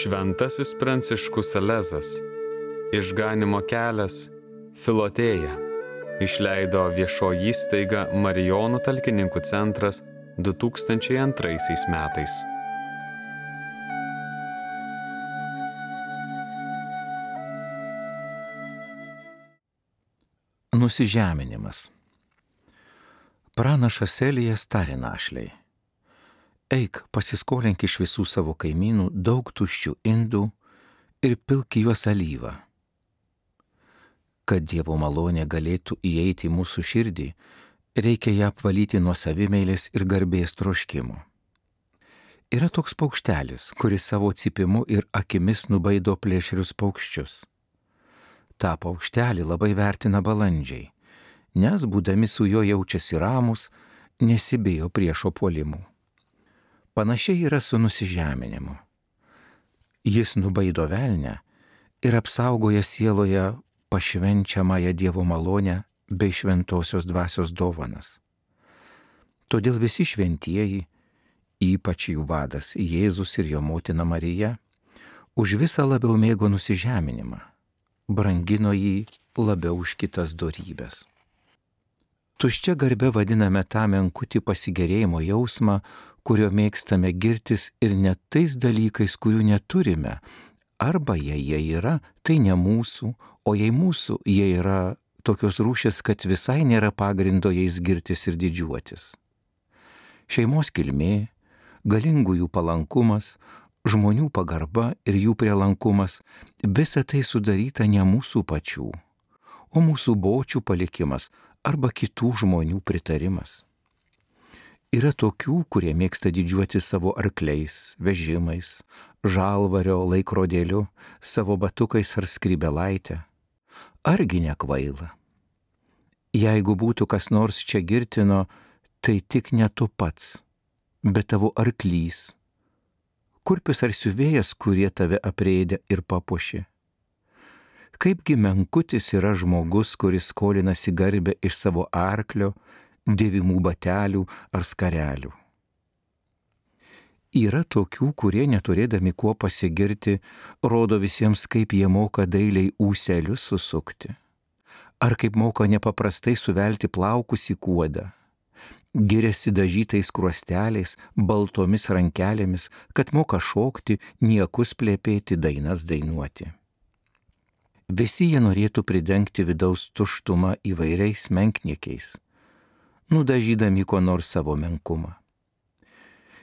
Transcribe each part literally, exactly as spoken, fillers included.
Šventasis Pranciškus Salezas, Išganymo kelias, Filotėja, išleido viešoji įstaiga Marijonų talkininkų centras du tūkstančiai antraisiais metais. Nusižeminimas. Pranašas Elijas tarė našlei: eik, pasiskolink iš visų savo kaimynų daug tuščių indų ir pilk juos alyvą. Kad Dievo malonė galėtų įeiti į mūsų širdį, reikia ją apvalyti nuo savimeilės ir garbės troškimo. Yra toks paukštelis, kuris savo cypimu ir akimis nubaido plėšrius paukščius. Ta paukštelį labai vertina balandžiai, nes būdami su juo jaučiasi ramus, nesibijo priešo puolimų. Panašiai yra su nusižeminimu. Jis nubaido velnę ir apsaugoja sieloje pašvenčiamąją Dievo malonę bei šventosios dvasios dovanas. Todėl visi šventieji, ypač jų vadas Jėzus ir jo motina Marija, už visą labiau mėgo nusižeminimą, brangino jį labiau už kitas dorybes. Tuščia garbe vadiname tą menkutį pasigėrėjimo jausmą, kurio mėgstame girtis ir net tais dalykais, kurių neturime, arba jei jie yra, tai ne mūsų, o jei mūsų, jie yra tokios rūšės, kad visai nėra pagrindo jais girtis ir didžiuotis. Šeimos kilmė, galingųjų palankumas, žmonių pagarba ir jų prielankumas — visa tai sudaryta ne mūsų pačių, o mūsų bočių palikimas arba kitų žmonių pritarimas. Yra tokių, kurie mėgsta didžiuoti savo arkliais, vežimais, žalvario laikrodėliu, savo batukais ar skrybelaitę. Argi nekvaila? Jeigu būtų kas nors čia girtino, tai tik ne tu pats, bet tavo arklys, kurpis ar siuvėjas, kurie tave aprėdė ir papuošė. Kaipgi menkutis yra žmogus, kuris skolinasi garbę iš savo arklio, dėvimų batelių ar skarelių. Yra tokių, kurie neturėdami kuo pasigirti, rodo visiems, kaip jie moka dailiai ūselius susukti, ar kaip moka nepaprastai suvelti plaukus į kuodą. Giriasi dažytais kruosteliais, baltomis rankelėmis, kad moka šokti, niekus plėpėti, dainas dainuoti. Visi jie norėtų pridengti vidaus tuštumą įvairiais menkniekiais, nudažydami ko nors savo menkumą.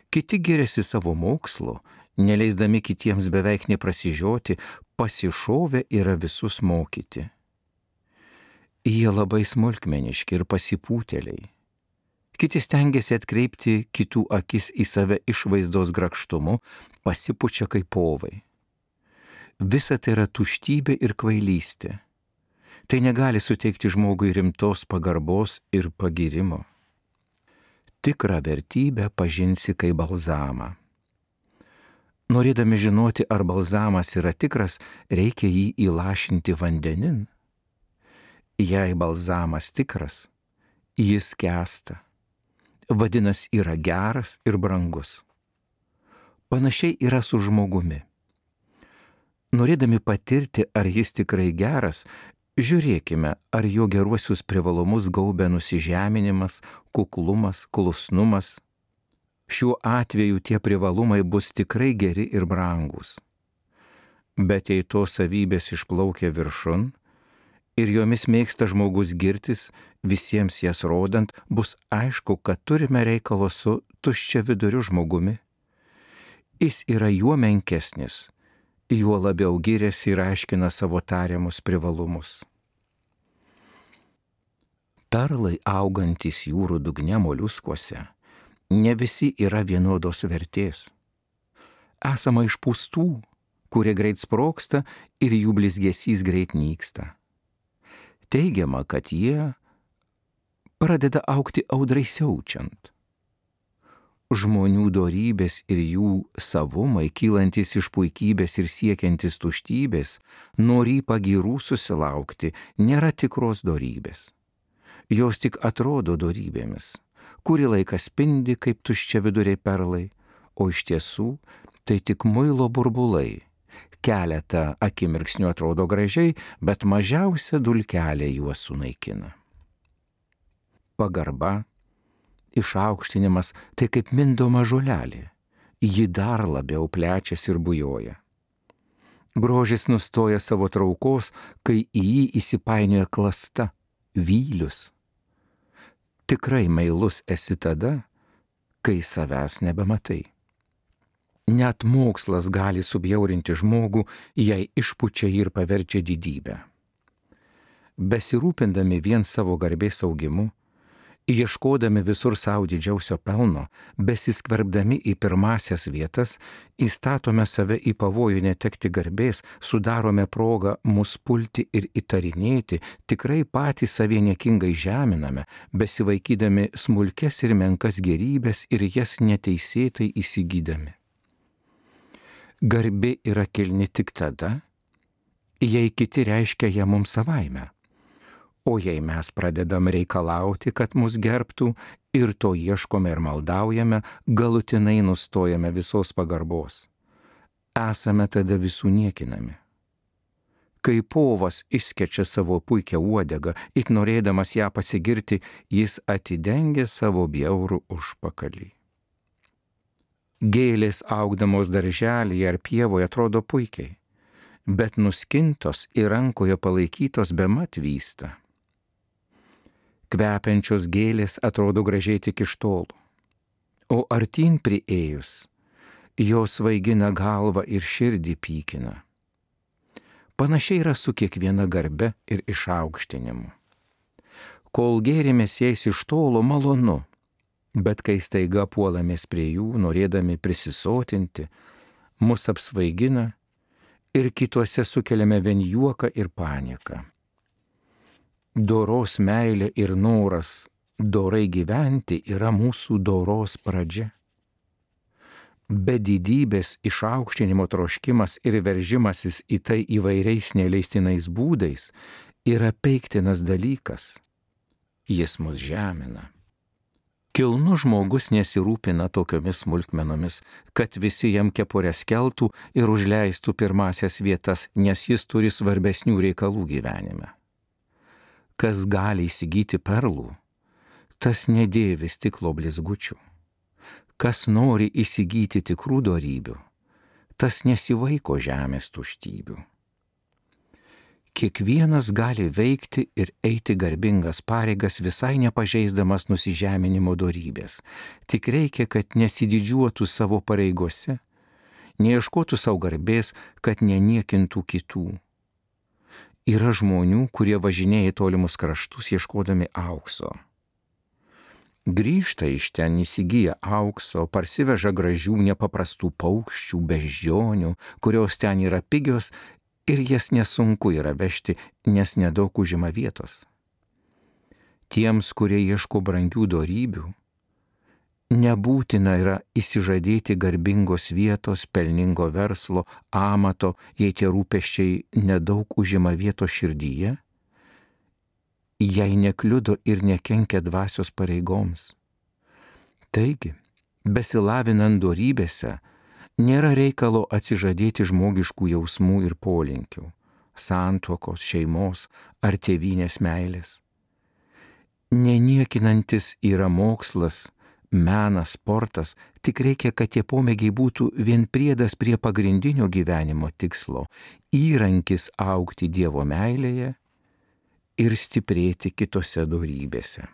Kiti giriasi savo mokslu, neleisdami kitiems beveik neprasižioti, pasišovę yra visus mokyti. Jie labai smulkmeniški ir pasipūtėliai. Kiti stengiasi atkreipti kitų akis į save išvaizdos grakštumu, pasipučia kaip povai. Visa tai yra tuštybė ir kvailystė. Tai negali suteikti žmogui rimtos pagarbos ir pagyrimo. Tikrą vertybę pažinsi kaip balzamą. Norėdami žinoti, ar balzamas yra tikras, reikia jį įlašinti vandenin. Jei balzamas tikras, jis skęsta. Vadinasi, yra geras ir brangus. Panašiai yra su žmogumi. Norėdami patirti, ar jis tikrai geras, žiūrėkime, ar jo geruosius privalumus gaubia nusižeminimas, kuklumas, klusnumas. Šiuo atveju tie privalumai bus tikrai geri ir brangus. Bet jei tos savybės išplaukia viršun ir jomis mėgsta žmogus girtis, visiems jas rodant, bus aišku, kad turime reikalo su tuščia viduriu žmogumi. Jis yra juo menkesnis, juo labiau giriasi ir aiškina savo tariamus privalumus. Perlai augantys jūrų dugne moliuskuose ne visi yra vienodos vertės. Esama išpūstų, kurie greit sprogsta ir jų blizgesys greit nyksta. Teigiama, kad jie pradeda augti audrai siaučiant. Žmonių dorybės ir jų savumai, kylantis iš puikybės ir siekiantis tuštybės, norį pagyrų susilaukti, nėra tikros dorybės. Jos tik atrodo dorybėmis, kurį laiką spindi kaip tuščia viduriai perlai, o iš tiesų tai tik muilo burbulai. Keletą akimirksnių atrodo gražiai, bet mažiausia dulkelė juos sunaikina. Pagarba, išaukštinimas tai kaip mindoma žolelė. Ji dar labiau plečiasi ir bujoja. Grožis nustoja savo traukos, kai į jį įsipainioja klasta, vylius. Tikrai meilus esi tada, kai savęs nebematai. Net mokslas gali subjaurinti žmogų, jei išpučia jį ir paverčia didybę. Besirūpindami vien savo garbės augimu, ieškodami visur savo didžiausio pelno, besiskverbdami į pirmasias vietas, įstatome save į pavojų netekti garbės, sudarome progą mus pulti ir įtarinėti, tikrai patys savie niekingai žeminame, besivaikydami smulkes ir menkas gerybės ir jas neteisėtai įsigydami. Garbė yra kilni tik tada, jei kiti reiškia ją mums savaime. O jei mes pradedam reikalauti, kad mus gerbtų ir to ieškome ir maldaujame, galutinai nustojame visos pagarbos. Esame tada visų niekinami. Kai povas išskečia savo puikią uodegą, it norėdamas ją pasigirti, jis atidengia savo bjaurų užpakalį. Gėlės augdamos darželyje ar pievoje atrodo puikiai, bet nuskintos ir rankoje palaikytos bemat vysta. Kvepiančios gėlės atrodo gražiai tik iš tolo, o artyn priėjus, jos svaigina galvą ir širdį pykina. Panašiai yra su kiekviena garbe ir išaukštinimu. Kol gėrimės jais iš tolo, malonu, bet kai staiga puolamės prie jų, norėdami prisisotinti, mus apsvaigina ir kituose sukeliame vien juoką ir paniką. Doros meilė ir noras dorai gyventi yra mūsų doros pradžia. Be didybės išaukštinimo troškimas ir veržimasis į tai įvairiais neleistinais būdais yra peiktinas dalykas. Jis mus žemina. Kilnus žmogus nesirūpina tokiomis smulkmenomis, kad visi jam kepures keltų ir užleistų pirmasias vietas, nes jis turi svarbesnių reikalų gyvenime. Kas gali įsigyti perlų, tas nedėvi stiklo blizgučių. Kas nori įsigyti tikrų dorybių, tas nesivaiko žemės tuštybių. Kiekvienas gali veikti ir eiti garbingas pareigas visai nepažeisdamas nusižeminimo dorybės. Tik reikia, kad nesididžiuotų savo pareigose, neieškotų savo garbės, kad neniekintų kitų. Yra žmonių, kurie važinėja į tolimus kraštus ieškodami aukso. Grįžta iš ten įsigyja aukso, parsiveža gražių nepaprastų paukščių, beždžionių, kurios ten yra pigios ir jas nesunku yra vežti, nes nedaug užima vietos. Tiems, kurie ieško brangių dorybių, nebūtina yra įsižadėti garbingos vietos, pelningo verslo, amato, jei tie rūpesčiai nedaug užima vietos širdyje, jei nekliudo ir nekenkia dvasios pareigoms. Taigi, besilavinant dorybėse, nėra reikalo atsižadėti žmogiškų jausmų ir polinkių, santuokos, šeimos ar tėvynės meilės. Neniekinantis yra mokslas, menas, sportas, tik reikia, kad tie pomėgiai būtų vien priedas prie pagrindinio gyvenimo tikslo, įrankis augti Dievo meilėje ir stiprėti kitose dorybėse.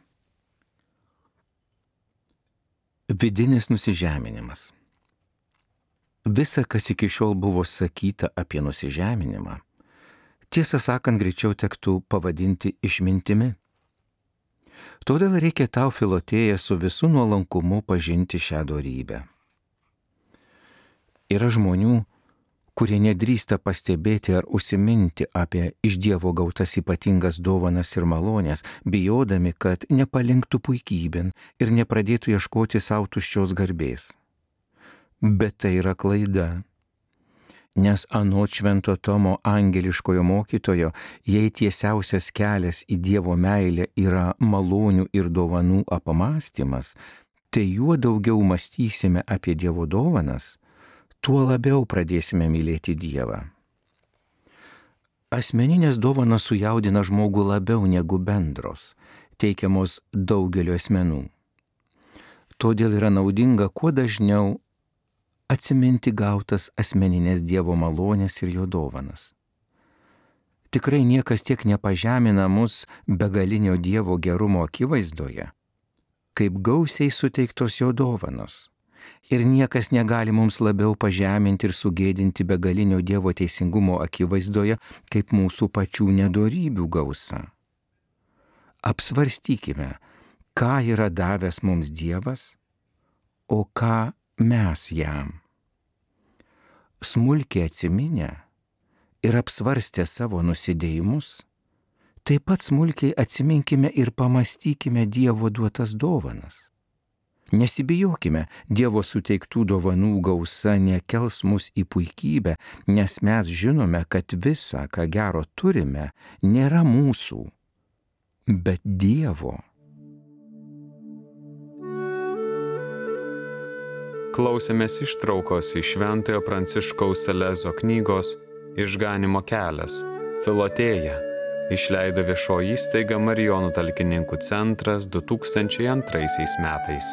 Vidinis nusižeminimas. Visa, kas iki šiol buvo sakyta apie nusižeminimą, tiesą sakant, greičiau tektų pavadinti išmintimi. Todėl reikia tau, Filotėja, su visu nuolankumu pažinti šią dorybę. Yra žmonių, kurie nedrįsta pastebėti ar užsiminti apie iš Dievo gautas ypatingas dovanas ir malonės, bijodami, kad nepalinktų puikybėn ir nepradėtų ieškoti savo tuščios garbės. Bet tai yra klaida. Nes anot Švento Tomo angeliškojo mokytojo, jei tiesiausias kelias į Dievo meilę yra malonių ir dovanų apmąstymas, tai juo daugiau mąstysime apie Dievo dovanas, tuo labiau pradėsime mylėti Dievą. Asmeninės dovanos sujaudina žmogų labiau negu bendros, teikiamos daugelio asmenų. Todėl yra naudinga kuo dažniau atsiminti gautas asmeninės Dievo malonės ir jo dovanas. Tikrai niekas tiek nepažemina mus begalinio Dievo gerumo akivaizdoje, kaip gausiai suteiktos jo dovanos. Ir niekas negali mums labiau pažeminti ir sugėdinti begalinio Dievo teisingumo akivaizdoje, kaip mūsų pačių nedorybių gausa. Apsvarstykime, ką yra davęs mums Dievas, o ką mes jam. Smulkiai atsiminę ir apsvarstę savo nusidėjimus, taip pat smulkiai atsiminkime ir pamastykime Dievo duotas dovanas. Nesibijokime, Dievo suteiktų dovanų gausa nekels mus į puikybę, nes mes žinome, kad visa, ką gero turime, nėra mūsų, bet Dievo. Klausėmės ištraukos iš Šventojo Pranciškaus Salezo knygos Išganimo kelias – Filotėja, išleido viešoji įstaiga Marijonų talkininkų centras du tūkstančiai antraisiais metais.